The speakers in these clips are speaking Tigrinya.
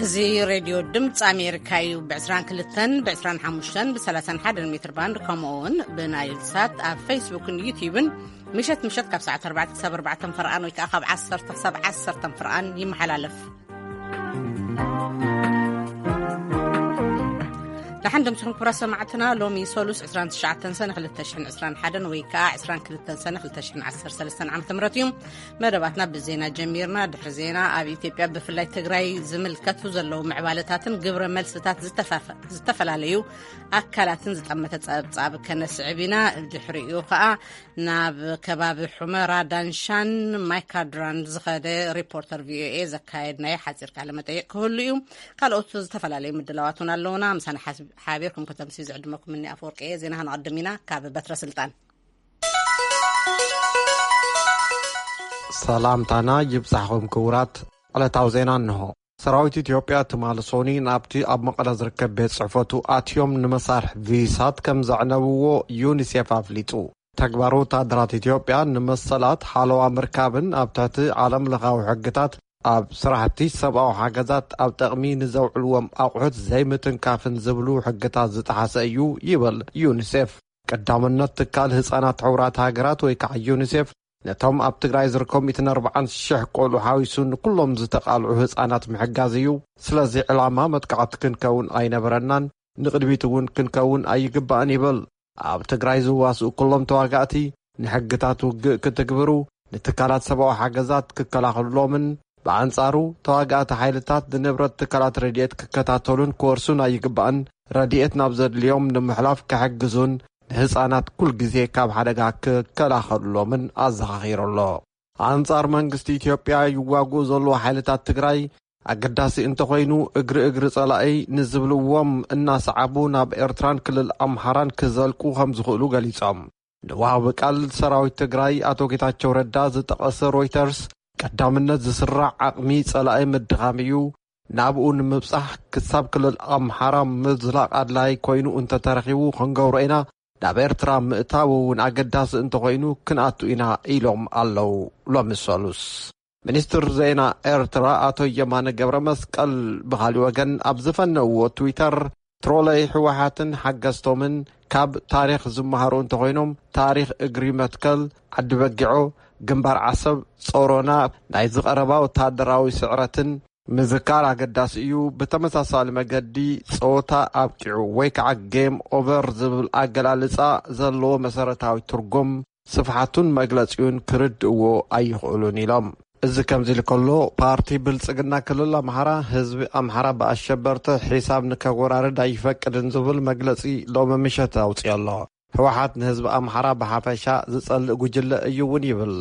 እዚ ሬድዮ ድምፂ ኣሜሪካ እዩ። ብ22፣ ብ25፣ ብ31 ሜትር ባንድ፣ ከምኡ እውን ብናይል ሳት ኣብ ፌስቡክን ዩቲዩብን ምሸት ምሸት ካብ ሰዓት ኣርባዕተ ክሳብ ኣርባዕተ ፈርቓን ወይ ከዓ ካብ ዓሰርተ ክሳብ ዓሰርተ ፈርቓን ይመሓላለፍ። ደሓን ደምስኹም ክቡራት ሰማዕትና። ሎሚ ሰሉስ ዕስራን ትሽዓተን ሰነ ክልተ ሽሕን ዕስራን ሓደን ወይ ከዓ ዕስራን ክልተን ሰነ ክልተ ሽሕን ዓሰርተ ሰለስተን ዓመተ ምህረት እዩ። መደባትና ብዜና ጀሚርና። ድሕሪ ዜና ኣብ ኢትዮጵያ ብፍላይ ትግራይ ዝምልከቱ ዘለዉ ምዕባለታትን ግብረ መልስታት ዝተፋፈ-፣ ዝተፈላለዩ ኣካላትን ዝጠመተ ጸብጻብ ከነስዕብ ኢና። ድሕሪኡ ከዓ ናብ ከባቢ ሑመራ፣ ዳንሻን ማይካድራን ዝኸደ ሪፖርተር ቪኦኤ ዘካየድናዮ ሓፂር ቃለ መጠይቅ ክህሉ እዩ። ካልኦት ዝተፈላለዩ ምድላዋት እውን ኣለውና። ምሳና ሓስ-፣ ሓቢርኩም ከተምሲ ዝዕድመኩም እኒ ኣፈወርቂ እየ። ዜና ክንቐድም ኢና። ካብ በትረ ስልጣን ሰላምታና ይብጻሕኹም ክቡራት። ዕለታዊ ዜና እንሆ። ሰራዊት ኢትዮጵያ ትማሊ ሶኒ ናብቲ ኣብ መቐለ ዝርከብ ቤት ጽሕፈቱ ኣትዮም ንመሳርሒ ቪሳት ከም ዘዕነብዎ ዩኒሴፍ ኣፍሊጡ። ተግባር ወታደራት ኢትዮጵያ ንመሰላት ሓለዋ ምርካብን ኣብ ትሕቲ ዓለም ለኻዊ ሕግታት ኣብ ስራሕቲ ሰብኣዊ ሓገዛት ኣብ ጠቕሚ ንዘውዕልዎም ኣቑሑት ዘይምትንካፍን ዝብሉ ሕግታት ዝጠሓሰ እዩ ይብል ዩኒሴፍ። ቀዳምነት ትካል ህፃናት ሕቡራት ሃገራት ወይ ከዓ ዩኒሴፍ ነቶም ኣብ ትግራይ ዝርከቡ ሚእትን ኣርባዓን ሽሕ ቆልዑ ሓዊሱ ንኩሎም ዝተቓልዑ ህፃናት ምሕጋዝ እዩ። ስለዚ ዕላማ መጥቃዕቲ ክንከውን ኣይነበረናን፣ ንቕድሚት እውን ክንከውን ኣይግባእን ይብል። ኣብ ትግራይ ዝዋስኡ ኩሎም ተዋጋእቲ ንሕግታት ውግእ ክትግብሩ፣ ንትካላት ሰብኣዊ ሓገዛት ክከላኸሉሎምን ብኣንጻሩ ተዋጋእቲ ሓይልታት ንንብረት ትካላት ረድኤት ክከታተሉን ክወርሱን ኣይግባእን። ረድኤት ናብ ዘድልዮም ንምሕላፍ ክሕግዙን ንህፃናት ኩል ግዜ ካብ ሓደጋ ክከላኸሉሎምን ኣዘኻኺሩ ኣሎ። ኣንጻር መንግስቲ ኢትዮጵያ ይዋግኡ ዘለዉ ሓይልታት ትግራይ ኣገዳሲ እንተኾይኑ እግሪ እግሪ ጸላኢ ንዝብልዎም እናሰዓቡ ናብ ኤርትራን ክልል ኣምሓራን ክዘልቁ ከም ዝኽእሉ ገሊጾም። ንወሃቢ ቃል ሰራዊት ትግራይ ኣቶ ጌታቸው ረዳ ዝጠቐሰ ሮይተርስ ቀዳምነት ዝስራዕ ዓቕሚ ጸላኢ ምድኻም እዩ። ናብኡ ንምብጻሕ ክሳብ ክልል ኣምሓራ ምዝላቕ ኣድላይ ኮይኑ እንተተረኺቡ ክንገብሮ ኢና። ናብ ኤርትራ ምእታው እውን ኣገዳሲ እንተኾይኑ ክንኣቱ ኢና ኢሎም ኣለዉ። ሎሚ ሰሉስ ሚኒስትር ዜና ኤርትራ ኣቶ የማነ ገብረ መስቀል ብኻሊእ ወገን ኣብ ዝፈነውዎ ትዊተር ትሮለይ ህወሓትን ሓገዝቶምን ካብ ታሪኽ ዝመሃሩ እንተኾይኖም ታሪኽ እግሪ መትከል፣ ዓዲ በጊዖ፣ ግንባር ዓሰብ፣ ጾሮና ናይ ዝቐረባ ወታደራዊ ስዕረትን ምዝካር ኣገዳሲ እዩ። ብተመሳሳሊ መገዲ ጸወታ ኣብቂዑ ወይ ከዓ ጌም ኦቨር ዝብል ኣገላልጻ ዘለዎ መሰረታዊ ትርጉም ስፍሓቱን መግለጺኡን ክርድእዎ ኣይኽእሉን ኢሎም። እዚ ከምዚ ኢሉ ከሎ ፓርቲ ብልጽግና ክልል ኣምሓራ ህዝቢ ኣምሓራ ብኣሸበርቲ ሒሳብ ንከወራርድ ኣይፈቅድን ዝብል መግለጺ ሎሚ ምሸት ኣውፅዮ ኣሎ። ህወሓት ንህዝቢ ኣምሓራ ብሓፈሻ ዝጸልእ ጉጅለ እዩ እውን ይብል።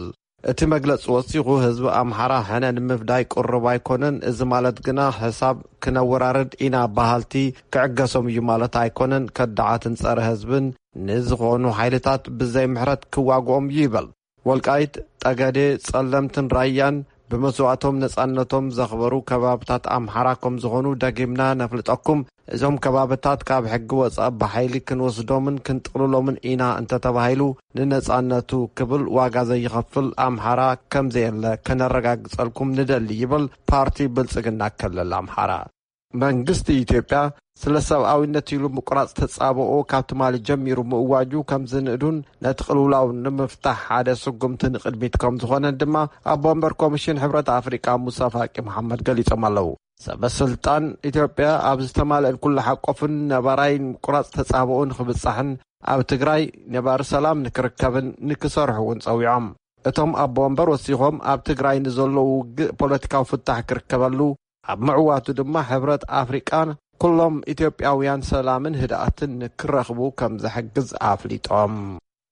እቲ መግለጺ ወሲኹ ህዝቢ ኣምሓራ ሕነ ንምፍዳይ ቅሩብ ኣይኮነን። እዚ ማለት ግና ሕሳብ ክነወራርድ ኢና በሃልቲ ክዕገሶም እዩ ማለት ኣይኮነን። ከዳዓትን ጸረ ህዝብን ንዝኾኑ ሓይልታት ብዘይ ምሕረት ክዋግኦም እዩ ይበል። ወልቃይት፣ ጠገዴ፣ ጸለምትን ራያን ብመስዋእቶም ነጻነቶም ዘኽበሩ ከባብታት ኣምሓራ ከም ዝኾኑ ደጊምና ነፍልጠኩም። እዞም ከባብታት ካብ ሕጊ ወጻኢ ብሓይሊ ክንወስዶምን ክንጥቕልሎምን ኢና እንተተባሂሉ ንነጻነቱ ክብል ዋጋ ዘይኸፍል ኣምሓራ ከም ዘየለ ከነረጋግጸልኩም ንደሊ ይብል ፓርቲ ብልጽግና ክልል ኣምሓራ። መንግስቲ ኢትዮጵያ ስለ ሰብኣዊነት ኢሉ ምቁራጽ ተጻብኦ ካብ ትማሊ ጀሚሩ ምእዋጁ ከም ዝንእዱን ነቲ ቅልውላው ንምፍታሕ ሓደ ስጉምቲ ንቕድሚት ከም ዝኾነን ድማ ኣቦ ወንበር ኮሚሽን ሕብረት ኣፍሪቃ ሙሳ ፋቂ መሓመድ ገሊጾም ኣለዉ። ሰበ ስልጣን ኢትዮጵያ ኣብ ዝተማልአን ኩሉ ሓቆፍን ነባራይን ምቁራጽ ተጻብኦ ንኽብጻሕን ኣብ ትግራይ ነባሪ ሰላም ንክርከብን ንክሰርሑ እውን ጸዊዖም። እቶም ኣቦ ወንበር ወሲኾም ኣብ ትግራይ ንዘለዉ ውግእ ፖለቲካዊ ፍታሕ ክርከበሉ ኣብ ምዕዋቱ ድማ ሕብረት ኣፍሪቃ ኩሎም ኢትዮጵያውያን ሰላምን ህድኣትን ንክረኽቡ ከም ዝሕግዝ ኣፍሊጦም።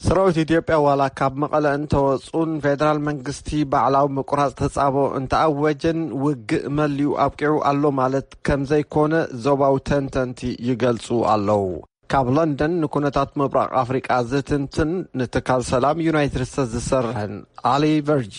ሰራዊት ኢትዮጵያ ዋላ ካብ መቐለ እንተወፁን ፌደራል መንግስቲ ባዕላዊ ምቁራፅ ተፃቦ እንተኣወጀን ውግእ መሊኡ ኣብቂዑ ኣሎ ማለት ከም ዘይኮነ ዞባዊ ተንተንቲ ይገልፁ ኣለዉ። ካብ ለንደን ንኩነታት ምብራቕ ኣፍሪቃ ዝትንትን ንትካል ሰላም ዩናይትድ ስቴትስ ዝሰርሕን ኣሊ ቨርጂ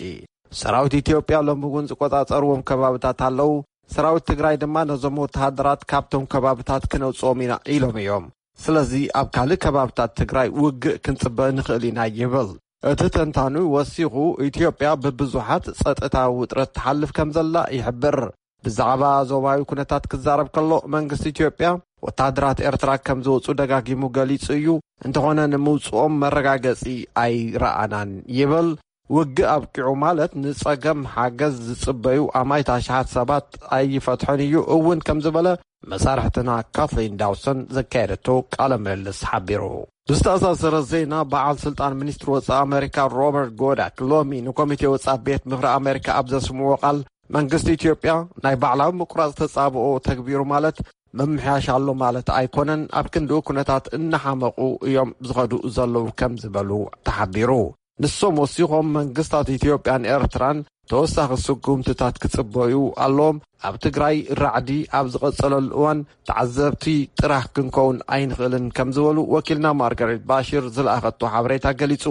ሰራዊት ኢትዮጵያ ሎሚ እውን ዝቆጻጸርዎም ከባብታት ኣለዉ። ሰራዊት ትግራይ ድማ ነዞም ወተሃደራት ካብቶም ከባብታት ክነውጽኦም ኢና ኢሎም እዮም። ስለዚ ኣብ ካልእ ከባብታት ትግራይ ውግእ ክንጽበ ንኽእል ኢና ይብል። እቲ ተንታኑ ወሲኹ ኢትዮጵያ ብብዙሓት ጸጥታዊ ውጥረት ትሓልፍ ከም ዘላ ይሕብር። ብዛዕባ ዞባዊ ኩነታት ክዛረብ ከሎ፣ መንግስቲ ኢትዮጵያ ወታደራት ኤርትራ ከም ዝወጹ ደጋጊሙ ገሊጹ እዩ። እንተኾነ ንምውጽኦም መረጋገጺ ኣይረኣናን ይብል። ውግእ ኣብቂዑ ማለት ንጸገም ሓገዝ ዝጽበዩ ኣማኢት ኣሽሓት ሰባት ኣይፈትሖን እዩ እውን ከም ዝበለ መሳርሕትና ካትሊን ዳውሰን ዘካየደቶ ቃለ ምልልስ ሓቢሩ። ብዝተኣሳሰረ ዜና፣ በዓል ስልጣን ሚኒስትሪ ወጻኢ ኣሜሪካ ሮበርት ጎዳክ ሎሚ ንኮሚቴ ወጻኢ ቤት ምኽሪ ኣሜሪካ ኣብ ዘስምዎ ቃል፣ መንግስቲ ኢትዮጵያ ናይ ባዕላዊ ምቁራጽ ተጻብኦ ተግቢሩ ማለት ምምሕያሽ ኣሎ ማለት ኣይኮነን፣ ኣብ ክንድኡ ኩነታት እናሓመቑ እዮም ዝኸዱ ዘለዉ ከም ዝበሉ ተሓቢሩ። ንሶም ወሲኾም መንግስታት ኢትዮጵያን ኤርትራን ተወሳኺ ስጉምትታት ክጽበዩ ኣለዎም። ኣብ ትግራይ ራዕዲ ኣብ ዝቐጸለሉ እዋን ተዓዘብቲ ጥራሕ ክንከውን ኣይንኽእልን ከም ዝበሉ ወኪልና ማርጋሬት ባሽር ዝለኣኸቶ ሓበሬታ ገሊጹ።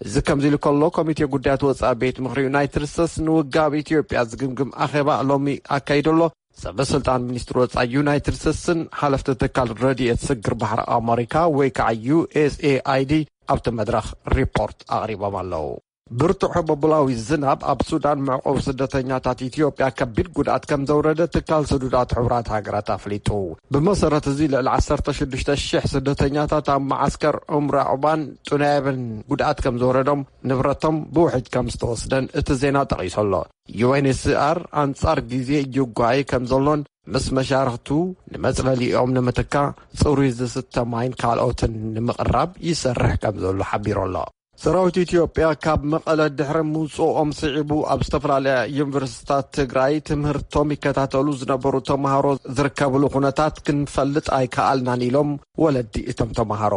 እዚ ከምዚ ኢሉ ከሎ፣ ኮሚቴ ጉዳያት ወጻኢ ቤት ምኽሪ ዩናይትድ ስቴትስ ንውግእ ኣብ ኢትዮጵያ ዝግምግም ኣኼባ ሎሚ ኣካይዱ ኣሎ። ሰበ ስልጣን ሚኒስትሪ ወጻኢ ዩናይትድ ስቴትስን ሓለፍቲ ትካል ረድኤት ስግር ባሕሪ ኣመሪካ ወይ ከዓ ዩ ኤስ ኤ ኣይ ዲ ኣብቲ መድረኽ ሪፖርት ኣቕሪቦም ኣለዉ። ብርቱዕ ሕቦብላዊ ዝናብ ኣብ ሱዳን መዕቆቢ ስደተኛታት ኢትዮጵያ ከቢድ ጉድኣት ከም ዘውረደ ትካል ስዱዳት ሕቡራት ሃገራት ኣፍሊጡ። ብመሰረት እዚ፣ ልዕሊ ዓሰርተ ሽዱሽተ ሽሕ ስደተኛታት ኣብ መዓስከር ዑምራ ዑባን ጡናይብን ጉድኣት ከም ዝወረዶም፣ ንብረቶም ብውሕጅ ከም ዝተወስደን እቲ ዜና ጠቒሱ ኣሎ። ዩ ኤን ኤች ሲ ኣር ኣንጻር ግዜ ይጓየ ከም ዘሎን፣ ምስ መሻርኽቱ ንመጽለሊኦም ንምትካእ ጽሩይ ዝስተ ማይን ካልኦትን ንምቕራብ ይሰርሕ ከም ዘሎ ሓቢሩ ኣሎ። ሰራዊት ኢትዮጵያ ካብ መቐለ ድሕሪ ምውፅኦም ስዒቡ፣ ኣብ ዝተፈላለያ ዩኒቨርሲቲታት ትግራይ ትምህርቶም ይከታተሉ ዝነበሩ ተምሃሮ ዝርከብሉ ኩነታት ክንፈልጥ ኣይከኣልናን ኢሎም ወለዲ እቶም ተምሃሮ።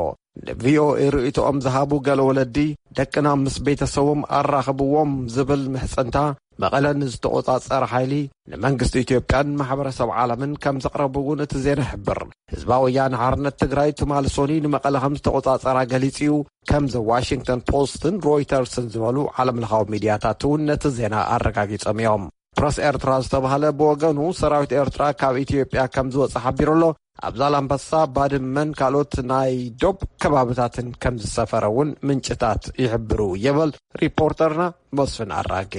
ንቪኦኤ ርእይቶኦም ዝሃቡ ገለ ወለዲ፣ ደቅና ምስ ቤተሰቦም ኣራኽብዎም ዝብል ምሕጽንታ፣ መቐለ ንዝተቖጻጸረ ሓይሊ፣ ንመንግስቲ ኢትዮጵያን ማሕበረሰብ ዓለምን ከም ዘቕረቡ እውን እቲ ዜና ይሕብር። ህዝባዊ ወያነ ሓርነት ትግራይ ትማሊ ሶኒ ንመቐለ ከም ዝተቖጻጸራ ገሊጹ እዩ፣ ከም ዘ ዋሽንግተን ፖስትን ሮይተርስን ዝበሉ ዓለምለኻዊ ሚድያታት እውን ነቲ ዜና ኣረጋጊጾም እዮም። ፕረስ ኤርትራ ዝተባህለ ብወገኑ፣ ሰራዊት ኤርትራ ካብ ኢትዮጵያ ከም ዝወጸ ሓቢሩ ኣሎ። ኣብ ዛላምበሳ፣ ባድመን ካልኦት ናይ ዶብ ከባብታትን ከም ዝሰፈረ እውን ምንጭታት ይሕብሩ፣ ይብል ሪፖርተርና መስፍን ኣራጌ።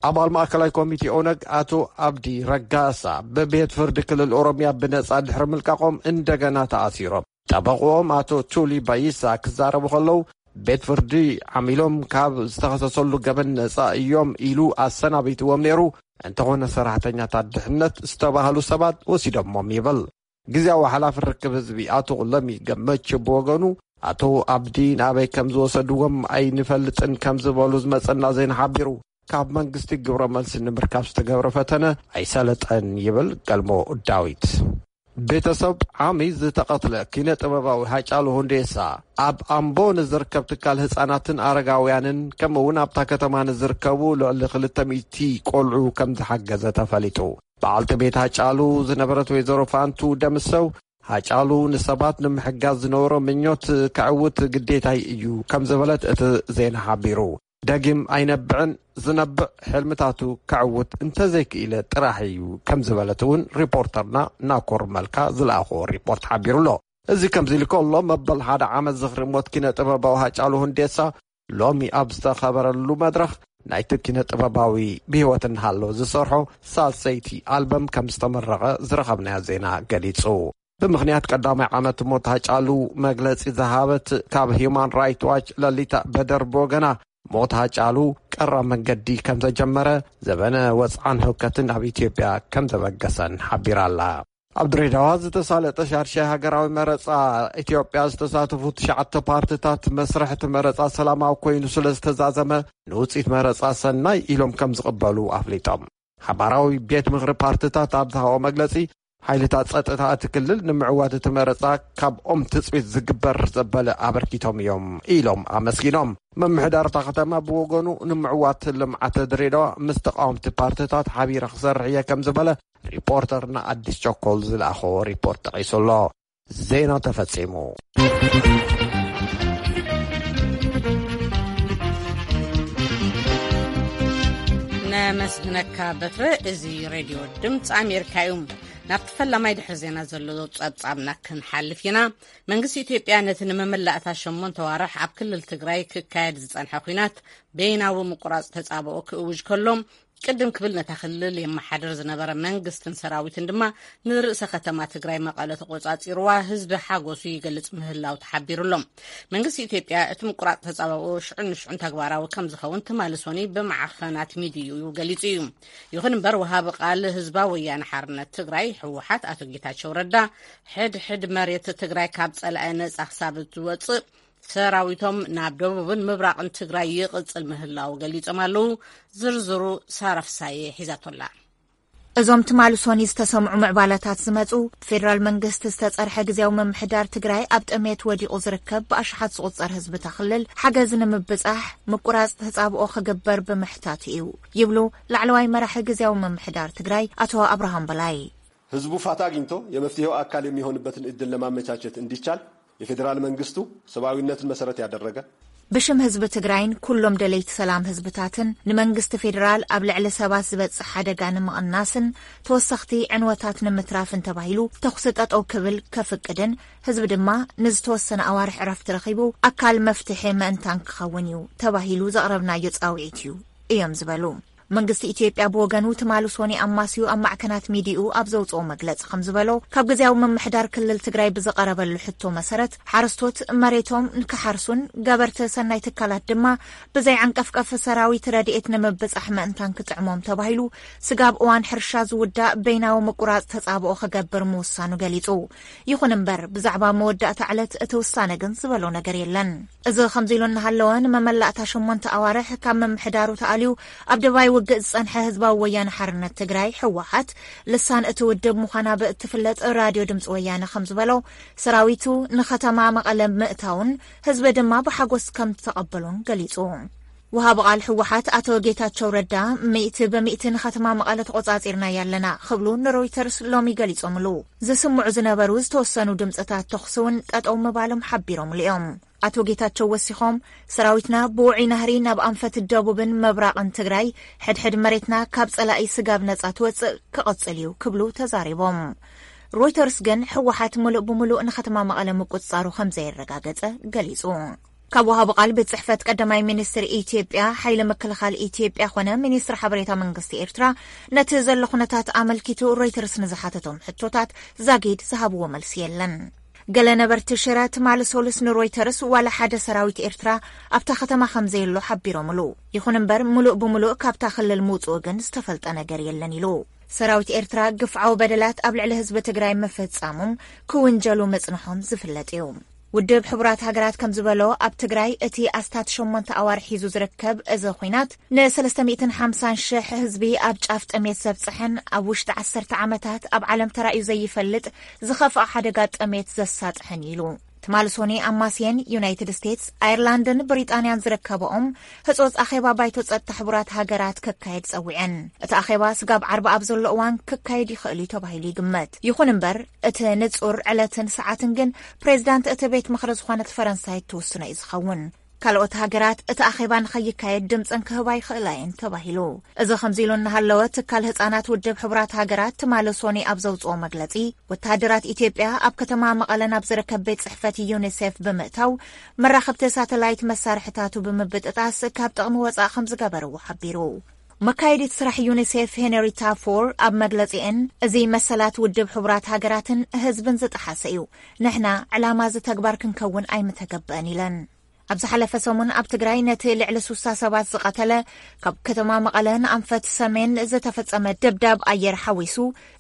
ኣባል ማእከላይ ኮሚቴ ኦነግ ኣቶ ኣብዲ ረጋሳ፣ ብቤት ፍርዲ ክልል ኦሮምያ ብነጻ ድሕሪ ምልቃቖም እንደገና ተኣሲሮም። ጠበቕኦም ኣቶ ቹሊ ባይሳ ክዛረቡ ከለዉ፣ ቤት ፍርዲ ዓሚሎም ካብ ዝተኸሰሰሉ ገበን ነጻ እዮም ኢሉ ኣሰናቢትዎም ነይሩ። እንተኾነ፣ ሰራሕተኛታት ድሕነት ዝተባህሉ ሰባት ወሲዶሞም ይብል። ግዜያዊ ሓላፊ ርክብ ህዝቢ ኣቶ ለሚ ገመች ብወገኑ፣ ኣቶ ኣብዲ ናበይ ከም ዝወሰድዎም ኣይንፈልጥን ከም ዝበሉ ዝመጸና ዜና ሓቢሩ። ካብ መንግስቲ ግብረ መልሲ ንምርካብ ዝተገብረ ፈተነ ኣይሰለጠን ይብል ገልሞ ዳዊት። ቤተሰብ ዓሚ ዝተቐትለ ኪነ ጥበባዊ ሃጫሉ ሁንዴሳ፣ ኣብ ኣምቦ ንዝርከብ ትካል ህጻናትን ኣረጋውያንን፣ ከምኡ እውን ኣብታ ከተማ ንዝርከቡ ልዕሊ ክልተ ሚእቲ ቆልዑ ከም ዝሓገዘ ተፈሊጡ። በዓልቲ ቤት ሃጫሉ ዝነበረት ወይዘሮ ፋንቱ ደምሰው፣ ሃጫሉ ንሰባት ንምሕጋዝ ዝነበሮ ምኞት ከዕውት ግዴታይ እዩ ከም ዝበለት እቲ ዜና ሓቢሩ። ደጊም ኣይነብዕን፣ ዝነብዕ ሕልምታቱ ከዕውት እንተዘይክኢለ ጥራሕ እዩ ከም ዝበለት እውን ሪፖርተርና ናኮር መልካ ዝለኣኽዎ ሪፖርት ሓቢሩ ኣሎ። እዚ ከምዚ ኢሉ ከሎ፣ መበል ሓደ ዓመት ዝኽሪ ሞት ኪነ ጥበባዊ ሃጫሉ ሁንዴሳ ሎሚ ኣብ ዝተኸበረሉ መድረኽ፣ ናይቲ ኪነ ጥበባዊ ብህይወት እናሃለወ ዝሰርሖ ሳልሰይቲ ኣልበም ከም ዝተመረቐ ዝረኸብናዮ ዜና ገሊጹ። ብምኽንያት ቀዳማይ ዓመት ሞት ሃጫሉ መግለጺ ዝሃበት ካብ ሂዩማን ራይት ዋች ለሊታ በደር ብወገና፣ ሞት ሃጫሉ ቀራ መንገዲ ከም ዘጀመረ፣ ዘበነ ወጽዓን ህውከትን ኣብ ኢትዮጵያ ከም ዘበገሰን ሓቢራ ኣላ። ኣብ ድሬዳዋ ዝተሳለጠ ሻድሻይ ሃገራዊ መረጻ ኢትዮጵያ ዝተሳተፉ ትሽዓተ ፓርትታት፣ መስርሕ እቲ መረጻ ሰላማዊ ኮይኑ ስለ ዝተዛዘመ፣ ንውጽኢት መረጻ ሰናይ ኢሎም ከም ዝቕበሉ ኣፍሊጦም። ሓባራዊ ቤት ምኽሪ ፓርትታት ኣብ ዝሃቦ መግለጺ፣ ሓይልታት ጸጥታ እቲ ክልል ንምዕዋት እቲ መረጻ ካብኦም ትጽቢት ዝግበር ዘበለ ኣበርኪቶም እዮም ኢሎም ኣመስጊኖም። ምምሕዳር እታ ከተማ ብወገኑ፣ ንምዕዋት ልምዓት ድሬዳዋ ምስ ተቃወምቲ ፓርትታት ሓቢረ ክሰርሕ እየ ከም ዝበለ ሪፖርተርና ኣዲስ ቸኮል ዝለኣኾ ሪፖርት ጠቒሱ ኣሎ። ዜና ተፈጺሙ። ነመስግነካ በትረ። እዚ ሬድዮ ድምፂ ኣሜሪካ እዩ። ናብቲ ፈላማይ ድሕሪ ዜና ዘሎ ጸብጻብና ክንሓልፍ ኢና። መንግስቲ ኢትዮጵያ ነቲ ንመመላእታ ሸሞንተ ዋርሕ ኣብ ክልል ትግራይ ክካየድ ዝጸንሐ ኲናት በይናዊ ምቁራጽ ተጻብኦ ክእውጅ ከሎ፣ ቅድም ክብል ነታ ክልል የመሓድር ዝነበረ መንግስትን ሰራዊትን ድማ ንርእሰ ከተማ ትግራይ መቐለ ተቖጻጺርዋ ህዝቢ ሓጎሱ ይገልጽ ምህላው ተሓቢሩ ኣሎ። መንግስቲ ኢትዮጵያ እቲ ምቁራጽ ተጻብኦ ሽዑን ንሽዑን ተግባራዊ ከም ዝኸውን ትማሊ ሶኒ ብማዕኸናት ሚድዩ ገሊጹ እዩ። ይኹን እምበር ወሃቢ ቃል ህዝባዊ ወያነ ሓርነት ትግራይ ህወሓት ኣቶ ጌታቸው ረዳ ሕድ ሕድ መሬት ትግራይ ካብ ጸላኢ ነጻ ክሳብ ዝወጽእ ሰራዊቶም ናብ ደቡብን ምብራቕን ትግራይ ይቕጽል ምህላው ገሊጾም ኣለዉ። ዝርዝሩ ሳራ ፍሳየ ሒዛቶላ። እዞም ትማሊ ሶኒ ዝተሰምዑ ምዕባለታት ዝመጹ፣ ብፌደራል መንግስቲ ዝተጸርሐ ግዜያዊ ምምሕዳር ትግራይ ኣብ ጥሜት ወዲቑ ዝርከብ ብኣሽሓት ዝቑጸር ህዝቢ እታ ክልል ሓገዝ ንምብጻሕ ምቁራጽ ተጻብኦ ክግበር ብምሕታቱ እዩ ይብሉ ላዕለዋይ መራሒ ግዜያዊ ምምሕዳር ትግራይ ኣቶ ኣብርሃም በላይ። ህዝቡ ፋታ ኣግኝቶ የመፍትሄው አካል የሚሆንበትን እድል ለማመቻቸት እንዲቻል የፌዴራል መንግስቱ ሰብአዊነትን መሰረት ያደረገ ብሽም ህዝቢ ትግራይን ኩሎም ደለይቲ ሰላም ህዝብታትን ንመንግስቲ ፌዴራል ኣብ ልዕሊ ሰባት ዝበጽሕ ሓደጋ ንምቕናስን ተወሰኽቲ ዕንወታት ንምትራፍን ተባሂሉ ተኹሲ ጠጠው ክብል ከፍቅድን ህዝቢ ድማ ንዝተወሰነ ኣዋርሕ ዕረፍቲ ረኺቡ ኣካል መፍትሒ ምእንታን ክኸውን እዩ ተባሂሉ ዘቕረብናዮ ጻውዒት እዩ እዮም ዝበሉ። መንግስቲ ኢትዮጵያ ብወገኑ ትማሊ ሶኒ ኣማስዩ ኣብ ማዕከናት ሚዲኡ ኣብ ዘውፅኦ መግለፂ ከም ዝበሎ ካብ ግዜያዊ ምምሕዳር ክልል ትግራይ ብዝቐረበሉ ሕቶ መሰረት ሓረስቶት መሬቶም ንክሓርሱን ገበርቲ ሰናይ ትካላት ድማ ብዘይ ዓንቀፍቀፍ ሰራዊት ረድኤት ንምብፃሕ ምእንታን ክጥዕሞም ተባሂሉ ስጋብ እዋን ሕርሻ ዝውዳእ በይናዊ ምቁራፅ ተፃብኦ ክገብር ምውሳኑ ገሊፁ። ይኹን እምበር ብዛዕባ መወዳእታ ዕለት እቲ ውሳነ ግን ዝበሎ ነገር የለን። እዚ ከምዚ ኢሉ እናሃለወ ንመመላእታ ሸሞንተ ኣዋርሕ ካብ ምምሕዳሩ ተኣልዩ ኣብ ደባይ ውግእ ዝጸንሐ ህዝባዊ ወያነ ሓርነት ትግራይ ህወሓት ልሳን እቲ ውድብ ምዃና ብእትፍለጥ ራድዮ ድምፂ ወያነ ከም ዝበሎ ሰራዊቱ ንከተማ መቐለ ምእታውን ህዝቢ ድማ ብሓጎስ ከም ዝተቐበሎን ገሊጹ። ወሃቢ ቃል ህወሓት ኣቶ ጌታቸው ረዳ ሚእቲ በሚእቲ ንከተማ መቐለ ተቆጻጺርናያ ኣለና ክብሉ ንሮይተርስ ሎሚ ገሊጾምሉ። ዝስምዑ ዝነበሩ ዝተወሰኑ ድምፅታት ተኹሲ እውን ጠጠው ምባሎም ሓቢሮምሉ እዮም። ኣቶ ጌታቸው ወሲኾም ሰራዊትና ብውዑይ ናህሪ ናብ ኣንፈት ደቡብን ምብራቕን ትግራይ ሕድሕድ መሬትና ካብ ጸላኢ ስጋብ ነጻ ትወጽእ ክቕጽል እዩ ክብሉ ተዛሪቦም። ሮይተርስ ግን ህወሓት ምሉእ ብምሉእ ንከተማ መቐለ ምቁጽጻሩ ከም ዘየረጋገጸ ገሊጹ። ካብ ወሃቢ ቃል ቤት ጽሕፈት ቀዳማይ ሚኒስትር ኢትዮጵያ ሓይሊ ምክልኻል ኢትዮጵያ ኾነ ሚኒስትር ሓበሬታ መንግስቲ ኤርትራ ነቲ ዘሎ ኩነታት ኣመልኪቱ ሮይተርስ ንዝሓተቶም ሕቶታት ዛጊድ ዝሃብዎ መልሲ የለን። ገለ ነበርቲ ሽረ ትማሊ ሶሉስ ንሮይተርስ ዋላ ሓደ ሰራዊት ኤርትራ ኣብታ ከተማ ከም ዘየሎ ሓቢሮምሉ። ይኹን እምበር ምሉእ ብምሉእ ካብታ ክልል ምውፅኡ ግን ዝተፈልጠ ነገር የለን ኢሉ። ሰራዊት ኤርትራ ግፍዓዊ በደላት ኣብ ልዕሊ ህዝቢ ትግራይ ምፍጻሞም ክውንጀሉ ምጽንሖም ዝፍለጥ እዩ። ውድብ ሕቡራት ሃገራት ከም ዝበሎ ኣብ ትግራይ እቲ ኣስታት ሸሞንተ ኣዋርሕ ሒዙ ዝርከብ እዚ ኹናት ን ሰለስተ ሚእትን ሓምሳን ሽሕ ህዝቢ ኣብ ጫፍ ጥሜት ዘብጽሐን ኣብ ውሽጢ ዓሰርተ ዓመታት ኣብ ዓለም ተራእዩ ዘይፈልጥ ዝኸፍኣ ሓደጋ ጥሜት ዘሳጥሐን እዩ ኢሉ። ትማሊ ሶኒ ኣማስየን ዩናይትድ ስቴትስ፣ ኣየርላንድን ብሪጣንያን ዝርከበኦም ህጹጽ ኣኼባ ባይቶ ጸጥታ ሕቡራት ሃገራት ክካየድ ጸዊዐን። እቲ ኣኼባ ስጋብ ዓርቢ ኣብ ዘሎ እዋን ክካየድ ይኽእል እዩ ተባሂሉ ይግመት። ይኹን እምበር እቲ ንጹር ዕለትን ሰዓትን ግን ፕሬዚዳንት እቲ ቤት ምኽሪ ዝኾነት ፈረንሳይ እትውስኖ እዩ ዝኸውን። ካልኦት ሃገራት እቲ ኣኼባ ንኸይካየድ ድምፀን ክህባ ይኽእላ እየን ተባሂሉ። እዚ ከምዚ ኢሉ እናሃለወ ትካል ህፃናት ውድብ ሕቡራት ሃገራት ትማሊ ሶኒ ኣብ ዘውፅኦ መግለፂ ወተሃደራት ኢትዮጵያ ኣብ ከተማ መቐለ ናብ ዝርከብ ቤት ፅሕፈት ዩኒሴፍ ብምእታው መራኸብቲ ሳተላይት መሳርሕታቱ ብምብጥጣስ ካብ ጥቕሚ ወፃእ ከም ዝገበርዎ ሓቢሩ። መካየዲት ስራሕ ዩኒሴፍ ሄንሪታ ፎር ኣብ መግለፂኤን እዚ መሰላት ውድብ ሕቡራት ሃገራትን ህዝብን ዝጠሓሰ እዩ። ንሕና ዕላማ እዚ ተግባር ክንከውን ኣይምተገበአን ኢለን። ኣብ ዝሓለፈ ሰሙን ኣብ ትግራይ ነቲ ልዕሊ ሱሳ ሰባት ዝቐተለ ካብ ከተማ መቐለ ንኣንፈት ሰሜን ዝተፈጸመ ደብዳብ ኣየር ሓዊሱ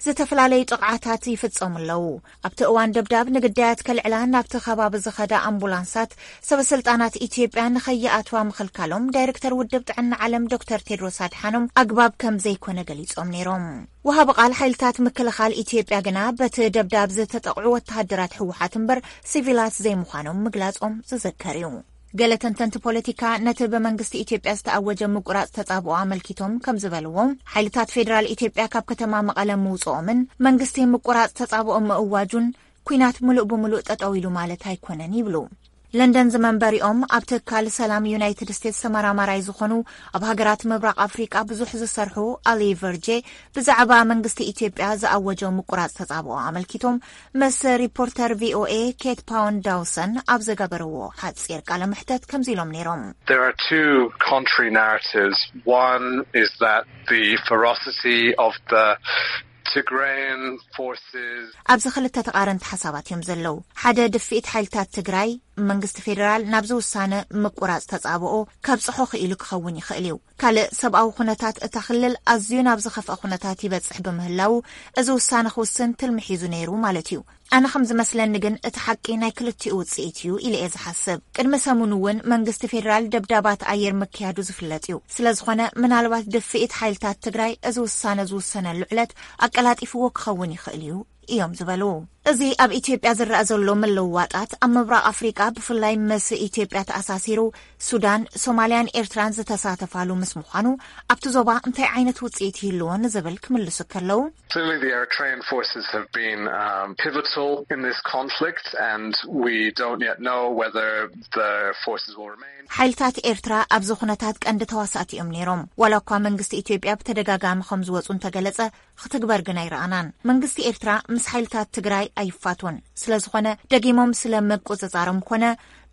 ዝተፈላለዩ ጥቕዓታት ይፍጸሙ ኣለዉ። ኣብቲ እዋን ደብዳብ ንግዳያት ከልዕላ ናብቲ ከባቢ ዝኸዳ ኣምቡላንሳት ሰበስልጣናት ኢትዮጵያ ንኸይኣትዋ ምኽልካሎም ዳይሬክተር ውድብ ጥዕና ዓለም ዶክተር ቴድሮስ ኣድሓኖም ኣግባብ ከም ዘይኮነ ገሊጾም ነይሮም። ወሃቢ ቃል ሓይልታት ምክልኻል ኢትዮጵያ ግና በቲ ደብዳብ ዝተጠቕዑ ወተሃደራት ህወሓት እምበር ሲቪላት ዘይምዃኖም ምግላጾም ዝዝከር እዩ። ገለ ተንተንቲ ፖለቲካ ነቲ ብመንግስቲ ኢትዮጵያ ዝተኣወጀ ምቁራጽ ተጻብኦ ኣመልኪቶም ከም ዝበልዎ ሓይልታት ፌዴራል ኢትዮጵያ ካብ ከተማ መቐለ ምውጽኦምን መንግስቲ ምቁራጽ ተጻብኦ ምእዋጁን ኲናት ምሉእ ብምሉእ ጠጠው ኢሉ ማለት ኣይኮነን ይብሉ። ለንደን ዝመንበሪኦም ኣብ ትካል ሰላም ዩናይትድ ስቴትስ ተመራማራይ ዝኾኑ፣ ኣብ ሃገራት ምብራቕ ኣፍሪቃ ብዙሕ ዝሰርሑ ኣሊ ቨርጄ፣ ብዛዕባ መንግስቲ ኢትዮጵያ ዝኣወጆ ምቁራጽ ተጻብኦ ኣመልኪቶም ምስ ሪፖርተር ቪ ኦ ኤ ኬት ፓውን ዳውሰን ኣብ ዘገበርዎ ሓጺር ቃለ መሕተት ከምዚ ኢሎም ነይሮም። There are two contrary narratives. One is that the ferocity of the Tigrayan forces. ኣብዚ ክልተ ተቓረንቲ ሓሳባት እዮም ዘለዉ። ሓደ፣ ድፍኢት ሓይልታት ትግራይ፣ መንግስቲ ፌደራል ናብዚ ውሳነ ምቁራጽ ተጻብኦ ከብጽሖ ክኢሉ ክኸውን ይኽእል እዩ። ካልእ፣ ሰብኣዊ ኩነታት እታ ክልል ኣዝዩ ናብ ዝኸፍአ ኩነታት ይበጽሕ ብምህላዉ፣ እዚ ውሳነ ክውስን ትልሚ ሒዙ ነይሩ ማለት እዩ። ኣነ ከም ዝመስለኒ ግን፣ እቲ ሓቂ ናይ ክልቲኡ ውጽኢት እዩ ኢለ እየ ዝሓስብ። ቅድሚ ሰሙን እውን መንግስቲ ፌደራል ደብዳባት ኣየር ምክያዱ ዝፍለጥ እዩ። ስለ ዝኾነ፣ ምናልባት ድፍኢት ሓይልታት ትግራይ እዚ ውሳነ ዝውሰነሉ ዕለት ኣቀላጢፍዎ ክኸውን ይኽእል እዩ እዮም ዝበሉ። እዚ ኣብ ኢትዮጵያ ዝረኣ ዘሎ ምልውዋጣት፣ ኣብ ምብራቕ ኣፍሪቃ ብፍላይ ምስ ኢትዮጵያ ተኣሳሲሩ፣ ሱዳን፣ ሶማልያን ኤርትራን ዝተሳተፋሉ ምስ ምዃኑ፣ ኣብቲ ዞባ እንታይ ዓይነት ውጽኢት ይህልዎ ንዝብል ክምልሱ ከለዉ፣ Clearly, the Eritrean forces have been um, pivotal in this conflict, and we don't yet know whether the forces will remain. ሓይልታት ኤርትራ ኣብዚ ኩነታት ቀንዲ ተዋሳእቲ እዮም ነይሮም። ዋላ እኳ መንግስቲ ኢትዮጵያ ብተደጋጋሚ ከም ዝወጹ እንተገለጸ፣ ክትግበር ግን ኣይረኣናን። መንግስቲ ኤርትራ ምስ ሓይልታት ትግራይ ኣይፋቱን። ስለ ዝኾነ፣ ደጊሞም ስለ ምቁጽጻሮም ኮነ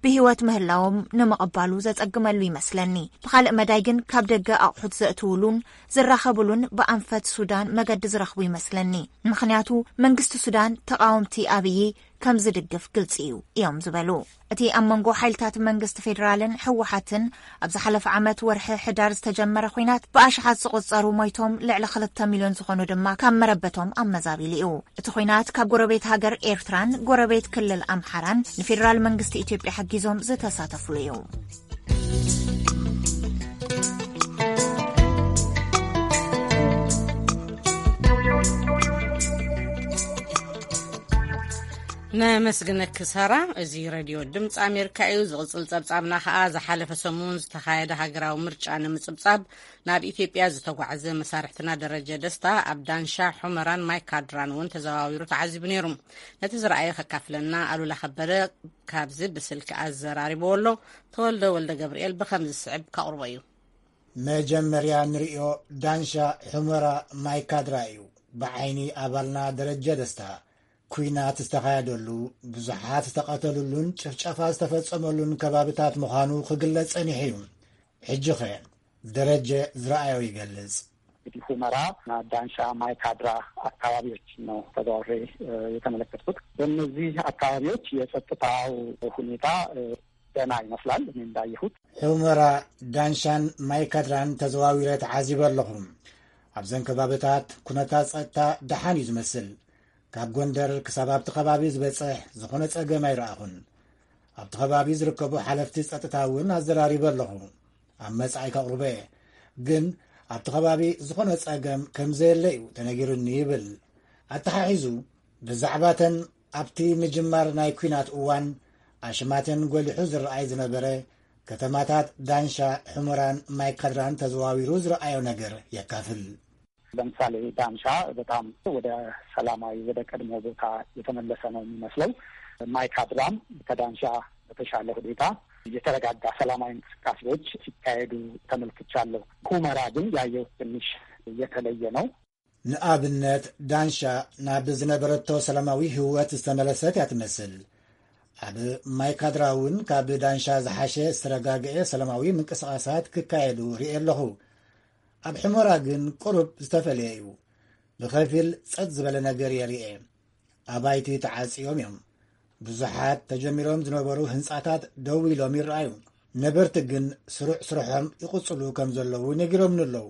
ብህይወት ምህላዎም ንምቕባሉ ዘጸግመሉ ይመስለኒ። ብኻልእ መዳይ ግን፣ ካብ ደገ ኣቑሑት ዘእትውሉን ዝራኸብሉን ብኣንፈት ሱዳን መገዲ ዝረኽቡ ይመስለኒ። ምኽንያቱ፣ መንግስቲ ሱዳን ተቓወምቲ ኣብዪ ከም ዝድግፍ ግልጺ እዩ እዮም ዝበሉ። እቲ ኣብ መንጎ ሓይልታት መንግስቲ ፌደራልን ህወሓትን ኣብ ዝሓለፈ ዓመት ወርሒ ሕዳር ዝተጀመረ ኹናት፣ ብኣሽሓት ዝቑጸሩ ሞይቶም፣ ልዕሊ ክልተ ሚልዮን ዝኾኑ ድማ ካብ መረበቶም ኣመዛቢሉ እዩ። እቲ ኹናት ካብ ጎረቤት ሃገር ኤርትራን ጎረቤት ክልል ኣምሓራን ንፌደራል መንግስቲ ኢትዮጵያ ሓጊዞም ዝተሳተፉሉ እዩ። ነመስግነኪ ሳራ። እዚ ሬድዮ ድምፂ ኣሜሪካ እዩ። ዝቕፅል ፀብፃብና ከዓ፣ ዝሓለፈ ሰሙን ዝተኻየደ ሃገራዊ ምርጫ ንምፅብፃብ ናብ ኢትዮጵያ ዝተጓዕዘ መሳርሕትና ደረጀ ደስታ ኣብ ዳንሻ፣ ሑመራን ማይካድራን እውን ተዘዋዊሩ ተዓዚቡ ነይሩ። ነቲ ዝረኣየ ከካፍለና ኣሉላ ከበደ ካብዚ ብስልኪ ኣዘራሪብዎ ኣሎ። ተወልደ ወልደ ገብርኤል ብኸምዚ ዝስዕብ ከቕርቦ እዩ። መጀመርያ ንርእዮ ዳንሻ፣ ሑመራ፣ ማይካድራ እዩ። ብዓይኒ ኣባልና ደረጀ ደስታ፣ ኲናት ዝተኻየደሉ፣ ብዙሓት ዝተቐተሉሉን ጭፍጨፋ ዝተፈጸመሉን ከባብታት ምዃኑ ክግለጽ ጸኒሑ እዩ። ሕጂኸ ደረጀ ዝረኣዮ ይገልጽ። እንግዲህ ሁመራ እና ዳንሻ፣ ማይካድራ አካባቢዎች ነው ተዘዋውሬ፣ እ፣ የተመለከትኩት። በእነዚህ አካባቢዎች የጸጥታው ሁኔታ፣ እ፣ ደህና ይመስላል እኔ እንዳየሁት። ሑመራ፣ ዳንሻን ማይካድራን ተዘዋዊረ ተዓዚበ ኣለኹ። ኣብዘን ከባብታት ኩነታት ጸጥታ ደሓን እዩ ዝመስል። ካብ ጎንደር ክሳብ ኣብቲ ከባቢ ዝበጽሕ ዝኾነ ጸገም ኣይረኣኹን። ኣብቲ ከባቢ ዝርከቡ ሓለፍቲ ጸጥታ እውን ኣዘራሪበ ኣለኹ። ኣብ መጻኢ ከቕርቦ እየ። ግን ኣብቲ ከባቢ ዝኾነ ጸገም ከም ዘየለ እዩ ተነጊሩኒ ይብል። ኣተሓሒዙ፣ ብዛዕባተን ኣብቲ ምጅማር ናይ ኲናት እዋን ኣሽማተን ጎሊሑ ዝረኣይ ዝነበረ ከተማታት ዳንሻ፣ ሑመራን ማይካድራን ተዘዋዊሩ ዝረኣዮ ነገር የካፍል። ለምሳሌ ዳንሻ በጣም ወደ ሰላማዊ፣ ወደ ቀድሞ ቦታ የተመለሰ ነው የሚመስለው። ማይካድራም ከዳንሻ በተሻለ ሁኔታ የተረጋጋ ሰላማዊ እንቅስቃሴዎች ሲካሄዱ ተመልክቻለሁ። ሁመራ ግን ያየሁት ትንሽ የተለየ ነው። ንኣብነት ዳንሻ ናብ ዝነበረቶ ሰላማዊ ህይወት ዝተመለሰት እያ ትመስል። ኣብ ማይካድራ እውን ካብ ዳንሻ ዝሓሸ ዝተረጋግአ ሰላማዊ ምንቅስቓሳት ክካየዱ ርእየ ኣለኹ። ኣብ ሕመራ ግን ቁሩብ ዝተፈለየ እዩ። ብኸፊል ጸጥ ዝበለ ነገር የርእየ። ኣባይቲ ተዓጽዮም እዮም። ብዙሓት ተጀሚሮም ዝነበሩ ህንጻታት ደው ኢሎም ይረኣዩ። ነበርቲ ግን ስሩዕ ስርሖም ይቕጽሉ ከም ዘለዉ ነጊሮምኒ ኣለዉ።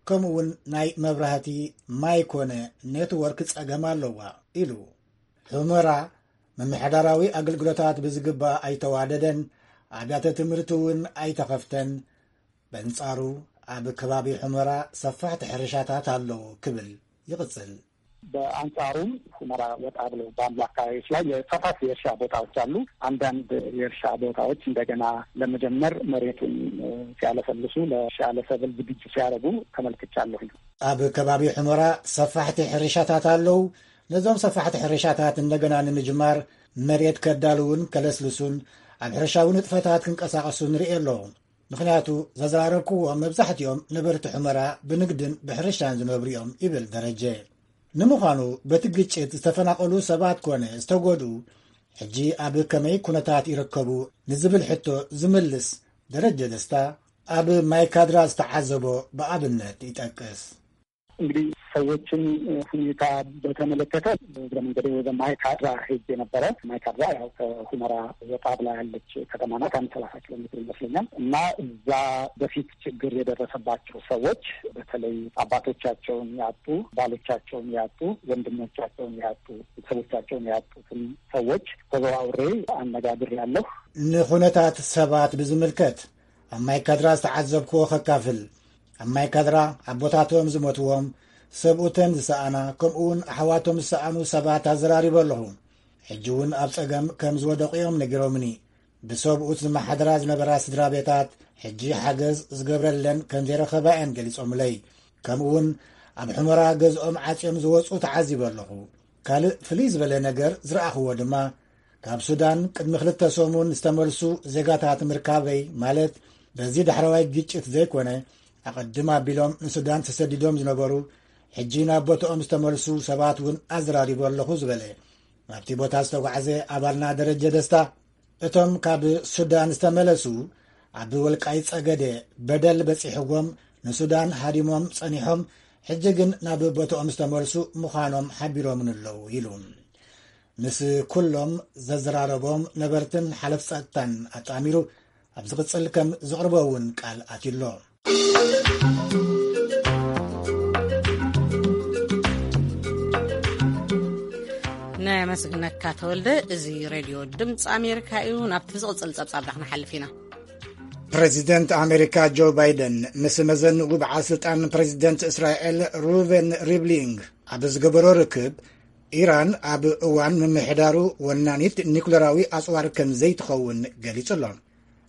ከምኡውን ናይ መብራህቲ፣ ማይ ኮነ ኔትወርክ ጸገም ኣለዋ ኢሉ። ሑመራ ምምሕዳራዊ ኣገልግሎታት ብዝግባእ ኣይተዋደደን፣ ኣብያተ ትምህርቲ እውን ኣይተኸፍተን። በንጻሩ ኣብ ከባቢ ሑመራ ሰፋሕቲ ሕርሻታት ኣለዉ ክብል ይቕጽል። በአንጻሩም ሁመራ ወጣ ብለው ባሉ አካባቢዎች ላይ የሰፋፊ የእርሻ ቦታዎች አሉ። አንዳንድ የእርሻ ቦታዎች እንደገና ለመጀመር መሬቱን፣ እ፣ ሲያለሰልሱ፣ ለእርሻ ለሰብል ዝግጁ ሲያደርጉ ተመልክቻለሁኝ። ኣብ ከባቢ ሑመራ ሰፋሕቲ ሕርሻታት ኣለዉ። ነዞም ሰፋሕቲ ሕርሻታት እንደገና ንምጅማር መሬት ከዳልውን ከለስልሱን ኣብ ሕርሻዊ ንጥፈታት ክንቀሳቐሱ ንርኢ ኣለኹ። ምኽንያቱ ዘዘራረብክዎም መብዛሕትኦም ነበርቲ ሑመራ ብንግድን ብሕርሻን ዝነብሩ እዮም ይብል ደረጀ። ንምዃኑ በቲ ግጭት ዝተፈናቐሉ ሰባት ኮነ ዝተጎድኡ ሕጂ ኣብ ከመይ ኩነታት ይርከቡ ንዝብል ሕቶ ዝምልስ ደረጀ ደስታ ኣብ ማይካድራ ዝተዓዘቦ ብኣብነት ይጠቅስ። እንግዲህ ሰዎችን ሁኔታ በተመለከተ እግረ መንገዴ ወደ ማይካድራ ሄጄ ነበረ። ማይካድራ ያው ከሁመራ ወጣ ብላ ያለች ከተማ ናት። አንድ ሰላሳ ኪሎ ሜትር ይመስለኛል። እና እዛ በፊት ችግር የደረሰባቸው ሰዎች በተለይ አባቶቻቸውን ያጡ፣ ባሎቻቸውን ያጡ፣ ወንድሞቻቸውን ያጡ፣ ቤተሰቦቻቸውን ያጡትን ሰዎች ተዘዋውሬ አነጋግሬያለሁ። ንኹነታት ሰባት ብዝምልከት ኣብ ማይካድራ ዝተዓዘብክዎ ከካፍል። ኣብ ማይካድራ ኣቦታቶም ዝሞትዎም፣ ሰብኡተን ዝሰኣና፣ ከምኡውን ኣሕዋቶም ዝሰኣኑ ሰባት ኣዘራሪበ ኣለኹ። ሕጂ እውን ኣብ ጸገም ከም ዝወደቑ እዮም ነጊሮምኒ። ብሰብኡት ዝመሓደራ ዝነበራ ስድራ ቤታት ሕጂ ሓገዝ ዝገብረለን ከም ዘይረኸባ እየን ገሊጾምለይ። ከምኡውን ኣብ ሑመራ ገዝኦም ዓጽዮም ዝወጹ ተዓዚበ ኣለኹ። ካልእ ፍልይ ዝበለ ነገር ዝረኣኽዎ ድማ ካብ ሱዳን ቅድሚ ክልተ ሰሙን ዝተመልሱ ዜጋታት ምርካበይ፣ ማለት በዚ ዳሕረዋይ ግጭት ዘይኮነ ኣቐድም ኣቢሎም ንሱዳን ተሰዲዶም ዝነበሩ ሕጂ ናብ ቦታኦም ዝተመልሱ ሰባት እውን ኣዘራሪቡ ኣለኹ ዝበለ ናብቲ ቦታ ዝተጓዕዘ ኣባልና ደረጀ ደስታ፣ እቶም ካብ ሱዳን ዝተመለሱ ኣብ ወልቃይ ጸገደ በደል በጺሕዎም ንሱዳን ሃዲሞም ጸኒሖም ሕጂ ግን ናብ ቦታኦም ዝተመልሱ ምዃኖም ሓቢሮምን ኣለዉ ኢሉ። ምስ ኩሎም ዘዘራረቦም ነበርትን ሓለፍ ጸጥታን ኣጣሚሩ ኣብ ዝቕጽል ከም ዘቕርቦ እውን ቃል ኣትዩሎ። ነመስግነካ ተወልደ። እዚ ሬድዮ ድምፂ ኣሜሪካ እዩ። ናብቲ ዝቕፅል ፀብፃብና ክንሓልፍ ኢና። ፕሬዚደንት ኣሜሪካ ጆ ባይደን ምስ መዘንኡ በዓል ስልጣን ፕሬዚደንት እስራኤል ሩቨን ሪቭሊንግ ኣብ ዝገበሮ ርክብ፣ ኢራን ኣብ እዋን ምምሕዳሩ ወናኒት ኒኩለራዊ ኣፅዋር ከም ዘይትኸውን ገሊጹ ኣሎ።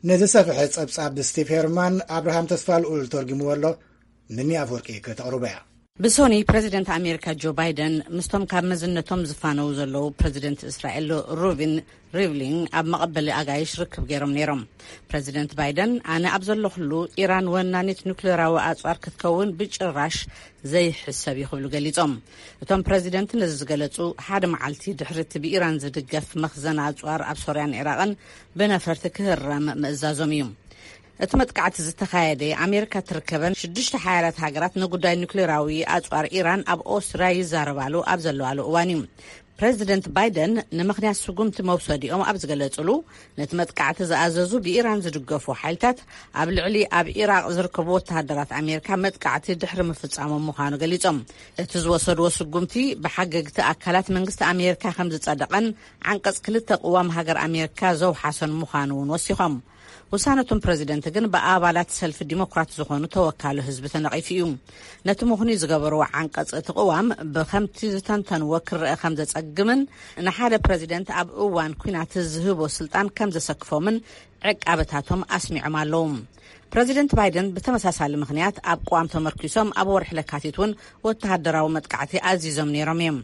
ነዚ ሰፍሐ ጸብጻብ ስቲቭ ሄርማን ኣብርሃም ተስፋልኡል ተርጉምዎ ኣሎ። ምኒ ኣፍወርቂ ከተቕርቦ እያ። ብሶኒ ፕረዚደንት ኣሜሪካ ጆ ባይደን ምስቶም ካብ መዝነቶም ዝፋነው ዘለዉ ፕረዚደንት እስራኤል ሩቪን ሪቭሊን ኣብ መቐበሊ ኣጋይሽ ርክብ ገይሮም ነይሮም። ፕረዚደንት ባይደን ኣነ ኣብ ዘለኹሉ ኢራን ወናኒት ኑክሌራዊ ኣጽዋር ክትከውን ብጭራሽ ዘይሕሰብ እዩ ክብሉ ገሊጾም። እቶም ፕረዚደንት ነዚ ዝገለጹ ሓደ መዓልቲ ድሕሪ እቲ ብኢራን ዝድገፍ መኽዘን ኣጽዋር ኣብ ሶርያን ኢራቕን ብነፈርቲ ክህረም ምእዛዞም እዩ። እቲ መጥቃዕቲ ዝተኻየደ ኣሜሪካ ትርከበን ሽዱሽተ ሓያላት ሃገራት ንጉዳይ ኑክሌራዊ ኣጽዋር ኢራን ኣብ ኦስትርያ ይዛረባሉ ኣብ ዘለዋሉ እዋን እዩ። ፕረዚደንት ባይደን ንምኽንያት ስጉምቲ መውሰዲኦም ኣብ ዝገለጽሉ፣ ነቲ መጥቃዕቲ ዝኣዘዙ ብኢራን ዝድገፉ ሓይልታት ኣብ ልዕሊ ኣብ ኢራቕ ዝርከቡ ወተሃደራት ኣሜሪካ መጥቃዕቲ ድሕሪ ምፍጻሞም ምዃኑ ገሊጾም። እቲ ዝወሰድዎ ስጉምቲ ብሓገግቲ ኣካላት መንግስቲ ኣሜሪካ ከም ዝጸደቐን ዓንቀጽ ክልተ ቅዋም ሃገር ኣሜሪካ ዘውሓሰን ምዃኑ እውን ወሲኾም። ውሳነቶም ፕረዚደንት ግን ብኣባላት ሰልፊ ዲሞክራት ዝኾኑ ተወካሉ ህዝቢ ተነቒፉ እዩ። ነቲ ምኽኑይ ዝገበርዎ ዓንቀጽ እቲ ቅዋም ብከምቲ ዝተንተንዎ ክረአ ከም ዘጸግምን ንሓደ ፕረዚደንት ኣብ እዋን ኲናት ዝህቦ ስልጣን ከም ዘሰክፎምን ዕቃበታቶም ኣስሚዖም ኣለዉ። ፕረዚደንት ባይደን ብተመሳሳሊ ምኽንያት ኣብ ቅዋም ተመርኪሶም ኣብ ወርሒ ለካቲት እውን ወተሃደራዊ መጥቃዕቲ ኣዚዞም ነይሮም እዮም።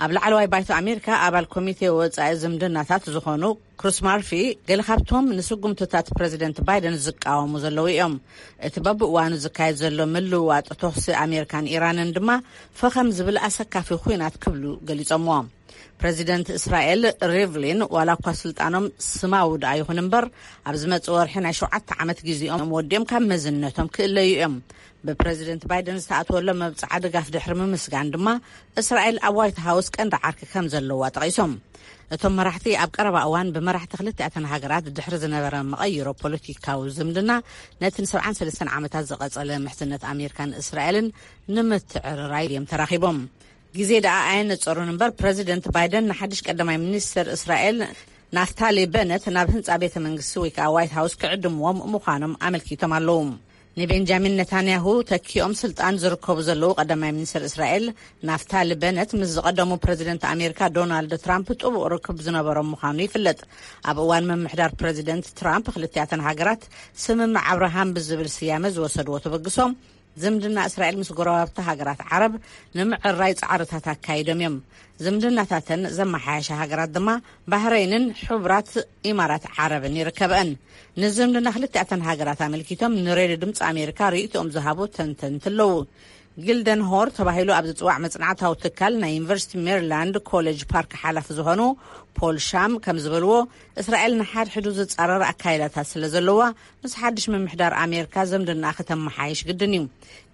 ኣብ ላዕለዋይ ባይቶ ኣሜሪካ ኣባል ኮሚቴ ወጻኢ ዝምድናታት ዝኾኑ ክሩስ ማርፊ ገለ ካብቶም ንስጉምትታት ፕረዚደንት ባይደን ዝቃወሙ ዘለዉ እዮም። እቲ በብእዋኑ ዝካየድ ዘሎ ምልውዋጥ ተኹሲ ኣሜሪካን ኢራንን ድማ ፈኸም ዝብል ኣሰካፊ ኹናት ክብሉ ገሊጾምዎ። ፕረዚደንት እስራኤል ሪቭሊን ዋላ እኳ ስልጣኖም ስማዊ ደኣ ይኹን እምበር ኣብ ዝመጽእ ወርሒ ናይ ሸውዓተ ዓመት ግዜኦም ወዲኦም ካብ መዝነቶም ክእለዩ እዮም። ብፕረዚደንት ባይደን ዝተኣትወሎም መብጽዓ ድጋፍ ድሕሪ ምምስጋን ድማ እስራኤል ኣብ ዋይት ሃውስ ቀንዲ ዓርኪ ከም ዘለዋ ጠቒሶም። እቶም መራሕቲ ኣብ ቀረባ እዋን ብመራሕቲ ክልቲኣተን ሃገራት ድሕሪ ዝነበረ መቐይሮ ፖለቲካዊ ዝምድና ነቲ ን ሰብዓን ሰለስተን ዓመታት ዝቐጸለ ምሕዝነት ኣሜሪካን እስራኤልን ንምትዕርራይ እዮም ተራኺቦም። ግዜ ደኣ ኣየነጸሩን እምበር ፕረዚደንት ባይደን ንሓድሽ ቀዳማይ ሚኒስተር እስራኤል ናፍታሊ በነት ናብ ህንጻ ቤተ መንግስቲ ወይ ከዓ ዋይት ሃውስ ክዕድምዎም ምዃኖም ኣመልኪቶም ኣለዉ። ንቤንጃሚን ነታንያሁ ተኪኦም ስልጣን ዝርከቡ ዘለዉ ቀዳማይ ሚኒስተር እስራኤል ናፍታሊ በነት ምስ ዝቐደሙ ፕረዚደንት ኣሜሪካ ዶናልድ ትራምፕ ጥቡቕ ርክብ ዝነበሮም ምዃኑ ይፍለጥ። ኣብ እዋን ምምሕዳር ፕረዚደንት ትራምፕ ክልቲኣተን ሃገራት ስምምዕ ኣብርሃም ብዝብል ስያመ ዝወሰድዎ ተበግሶ ዝምድና እስራኤል ምስ ጎረባብቲ ሃገራት ዓረብ ንምዕራይ ጻዕርታት ኣካይዶም እዮም። ዝምድናታተን ዘመሓያሻ ሃገራት ድማ ባህረይንን ሕቡራት ኢማራት ዓረብን ይርከበን። ንዝምድና ክልቲኣተን ሃገራት ኣመልኪቶም ንሬድዮ ድምፂ ኣሜሪካ ርእይቶኦም ዝሃቡ ተንተንቲ ኣለዉ። ጊልደን ሆር ተባሂሉ ኣብ ዝፅዋዕ መፅናዕታዊ ትካል ናይ ዩኒቨርሲቲ ሜሪላንድ ኮሌጅ ፓርክ ሓላፊ ዝኾኑ ፖል ሻም ከም ዝበልዎ፣ እስራኤል ንሓድሕዱ ዝፃረር ኣካይዳታት ስለ ዘለዋ፣ ምስ ሓድሽ ምምሕዳር ኣሜሪካ ዝምድና ክተመሓይሽ ግድን እዩ።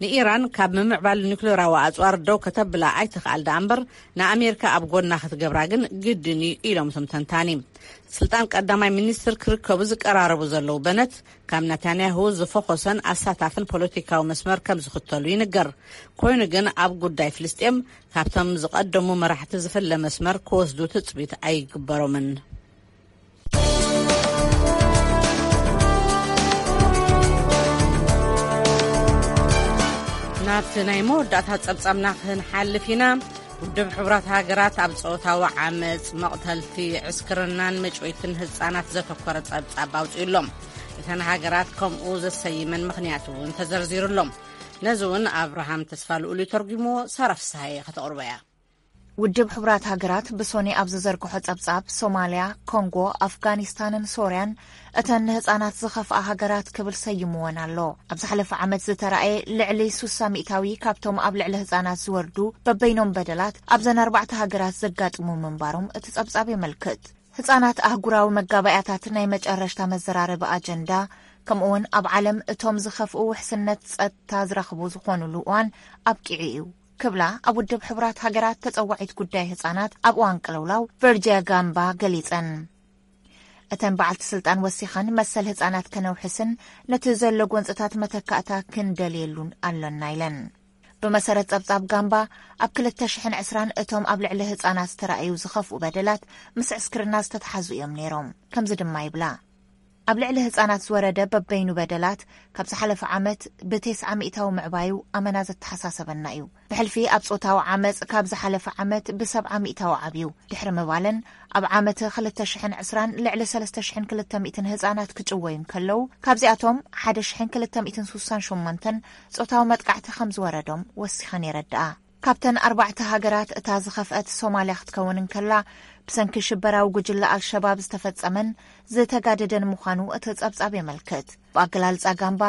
ንኢራን ካብ ምምዕባል ኒውክሌራዊ ኣፅዋር ደው ከተብላ ኣይትኽኣል ደኣ እምበር፣ ንኣሜሪካ ኣብ ጎና ክትገብራ ግን ግድን እዩ ኢሎም እቶም ተንታኒ። ስልጣን ቀዳማይ ሚኒስትር ክርከቡ ዝቀራረቡ ዘለዉ በነት፣ ካብ ናታንያሁ ዝፈኾሰን ኣሳታፍን ፖለቲካዊ መስመር ከም ዝኽተሉ ይንገር። ኮይኑ ግን ኣብ ጉዳይ ፍልስጤም ካብቶም ዝቐደሙ መራሕቲ ዝፍለ መስመር ክወስዱ ትጽቢት ኣይግበሮምን። ናብቲ ናይ መወዳእታ ጸብጻብና ክንሓልፍ ኢና። ውድብ ሕቡራት ሃገራት ኣብ ጾታዊ ዓመጽ፣ መቕተልቲ፣ ዕስክርናን መጭወይትን ህጻናት ዘተኮረ ጸብጻብ ኣውጺኡ ኣሎ። እተን ሃገራት ከምኡ ዘሰይመን ምኽንያት እውን ተዘርዚሩ ኣሎ። ነዚ እውን ኣብርሃም ተስፋ ልኡል ተርጉሞ፣ ሳራ ፍስሃየ ከተቕርቦ እያ። ውድብ ሕቡራት ሃገራት ብሶኒ ኣብ ዝዘርግሖ ጸብጻብ፣ ሶማልያ፣ ኮንጎ፣ ኣፍጋኒስታንን ሶርያን እተን ንህጻናት ዝኸፍኣ ሃገራት ክብል ሰይምወን ኣሎ። ኣብ ዝሓለፈ ዓመት ዝተራእየ ልዕሊ ሱሳ ሚእታዊ ካብቶም ኣብ ልዕሊ ህጻናት ዝወርዱ በበይኖም በደላት ኣብዘን ኣርባዕተ ሃገራት ዘጋጥሙ ምንባሮም እቲ ጸብጻብ የመልክት። ህጻናት ኣህጉራዊ መጋባእያታት ናይ መጨረሽታ መዘራረቢ ኣጀንዳ፣ ከምኡውን ኣብ ዓለም እቶም ዝኸፍኡ ውሕስነት ጸጥታ ዝረኽቡ ዝኾኑሉ እዋን ኣብቂዑ እዩ ክብላ ኣብ ውድብ ሕቡራት ሃገራት ተጸዋዒት ጉዳይ ህጻናት ኣብ እዋን ቅልውላው ቨርጂያ ጋምባ ገሊጸን። እተን በዓልቲ ስልጣን ወሲኸን መሰል ህጻናት ከነውሕስን ነቲ ዘሎ ጎንጽታት መተካእታ ክንደልየሉን ኣሎና ኢለን። ብመሰረት ጸብጻብ ጋምባ፣ ኣብ ክልተ ሽሕን ዕስራን እቶም ኣብ ልዕሊ ህጻናት ዝተራእዩ ዝኸፍኡ በደላት ምስ ዕስክርና ዝተተሓዙ እዮም ነይሮም። ከምዚ ድማ ይብላ። ኣብ ልዕሊ ህጻናት ዝወረደ በበይኑ በደላት ካብ ዝሓለፈ ዓመት ብተስዓ ሚእታዊ ምዕባዩ ኣመና ዘተሓሳሰበና እዩ። ብሕልፊ ኣብ ጾታዊ ዓመጽ ካብ ዝሓለፈ ዓመት ብሰብዓ ሚእታዊ ዓብዩ። ድሕሪ ምባለን፣ ኣብ ዓመት ክልተ ሽሕን ዕስራን ልዕሊ ሰለስተ ሽሕን ክልተ ሚእትን ህጻናት ክጭወዩ እንከለዉ፣ ካብዚኣቶም ሓደ ሽሕን ክልተ ሚእትን ሱሳን ሸሞንተን ጾታዊ መጥቃዕቲ ከም ዝወረዶም ወሲኸን የረድኣ። ካብተን ኣርባዕተ ሃገራት እታ ዝኸፍአት ሶማልያ ክትከውን እንከላ፣ ብሰንኪ ሽበራዊ ጉጅለ ኣልሸባብ ዝተፈጸመን ዝተጋደደን ምዃኑ እቲ ጸብጻብ የመልክት። ብኣገላልጻ ጋምባ፣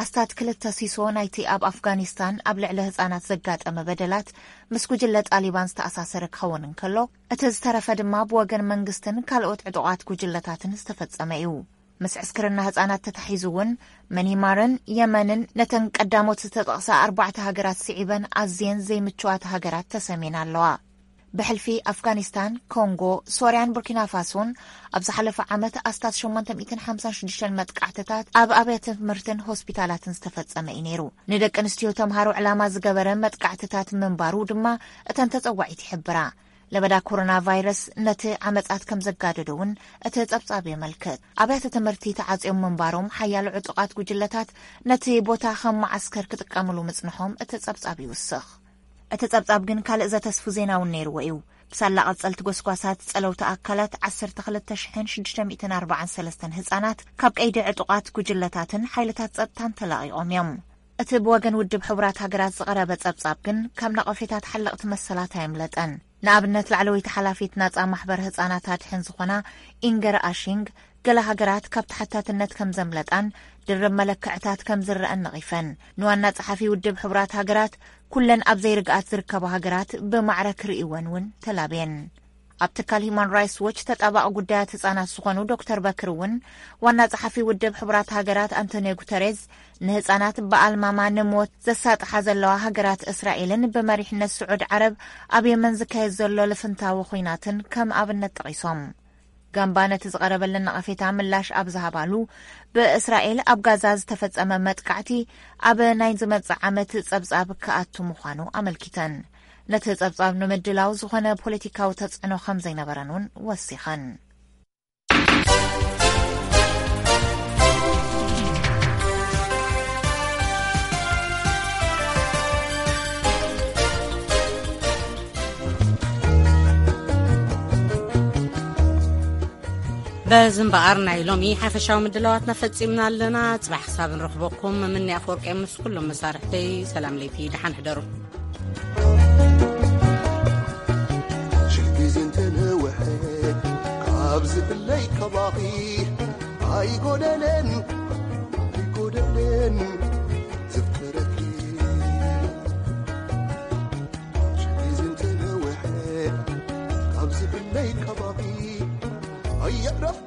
ኣስታት ክልተ ሲሶ ናይቲ ኣብ ኣፍጋኒስታን ኣብ ልዕሊ ህጻናት ዘጋጠመ በደላት ምስ ጉጅለ ጣሊባን ዝተኣሳሰረ ክኸውን እንከሎ፣ እቲ ዝተረፈ ድማ ብወገን መንግስትን ካልኦት ዕጡቓት ጉጅለታትን ዝተፈጸመ እዩ። ምስ ዕስክርና ህጻናት ተታሒዙ እውን፣ መኒማርን የመንን ነተን ቀዳሞት ዝተጠቕሳ ኣርባዕተ ሃገራት ስዒበን ኣዝየን ዘይምችዋት ሃገራት ተሰምየን ኣለዋ። ብሕልፊ ኣፍጋኒስታን፣ ኮንጎ፣ ሶርያን ቡርኪና ፋሶን ኣብ ዝሓለፈ ዓመት ኣስታት ሸሞንተ ሚእትን ሓምሳን ሽዱሽተን መጥቃዕትታት ኣብ ኣብያተ ትምህርትን ሆስፒታላትን ዝተፈጸመ እዩ ነይሩ። ንደቂ ኣንስትዮ ተምሃሮ ዕላማ ዝገበረ መጥቃዕትታት ምንባሩ ድማ እተን ተጸዋዒት ይሕብራ። ለበዳ ኮሮና ቫይረስ ነቲ ዓመጻት ከም ዘጋደዶ እውን እቲ ጸብጻብ የመልክት። ኣብያተ ትምህርቲ ተዓጽዮም ምንባሮም፣ ሓያሎ ዕጡቓት ጉጅለታት ነቲ ቦታ ከም መዓስከር ክጥቀምሉ ምጽንሖም እቲ ጸብጻብ ይውስኽ። እቲ ጸብጻብ ግን ካልእ ዘተስፉ ዜና እውን ነይርዎ እዩ። ብሳላ ቀጸልቲ ጎስጓሳት ጸለውቲ ኣካላት፣ ዓሰርተ ክልተ ሽሕን ሽዱሽተ ሚእትን ኣርባዓን ሰለስተን ህጻናት ካብ ቀይዲ ዕጡቓት ጉጅለታትን ሓይልታት ጸጥታን ተላቒቖም እዮም። እቲ ብወገን ውድብ ሕቡራት ሃገራት ዝቐረበ ጸብጻብ ግን ካብ ነቐፌታት ሓለቕቲ መሰላት ኣየምለጠን። ንኣብነት፣ ላዕለወይቲ ሓላፊት ናጻ ማሕበር ህጻናት ኣድሕን ዝኾና ኢንገር ኣሺንግ፣ ገለ ሃገራት ካብ ተሓታትነት ከም ዘምለጣን ድርብ መለክዕታት ከም ዝረኣን ነቒፈን። ንዋና ጸሓፊ ውድብ ሕቡራት ሃገራት፣ ኩለን ኣብ ዘይርግኣት ዝርከባ ሃገራት ብማዕረ ክርእይወን እውን ተላብየን። ኣብ ትካል ሂማን ራይትስ ዎች ተጣባቒ ጉዳያት ህጻናት ዝኾኑ ዶክተር በክር እውን፣ ዋና ጸሓፊ ውድብ ሕቡራት ሃገራት ኣንቶኒዮ ጉተሬዝ፣ ንህጻናት ብኣልማማ ንሞት ዘሳጥሓ ዘለዋ ሃገራት እስራኤልን ብመሪሕነት ስዑድ ዓረብ ኣብ የመን ዝካየድ ዘሎ ልፍንታዊ ኹናትን ከም ኣብነት ጠቒሶም። ጋምባ ነቲ ዝቐረበለን ነቐፌታ ምላሽ ኣብ ዝሃባሉ፣ ብእስራኤል ኣብ ጋዛ ዝተፈጸመ መጥቃዕቲ ኣብ ናይ ዝመጽእ ዓመት ጸብጻብ ክኣቱ ምዃኑ ኣመልኪተን። ነቲ ጸብጻብ ንምድላው ዝኾነ ፖለቲካዊ ተጽዕኖ ከም ዘይነበረን እውን ወሲኸን። እዚ እምበኣር ናይ ሎሚ ሓፈሻዊ ምድላዋትና ፈጺምና ኣለና። ጽባሕ ክሳብ ንረኽበኩም፣ ምምኒ ኣፈወርቂ ምስ ኩሎም መሳርሕተይ ሰላም ለይቲ፣ ደሓን ሕደሩ። ሽል ግዜ እንተነውሐ ካብ ዝብለይ ካባኺ ኣይጎደለን፣ ኣይጎደለን ዘፍቅረኪ። ሽል ግዜ እንተነውሐ ካብ ዝብለይ ካባኺ ኣየዕረፍ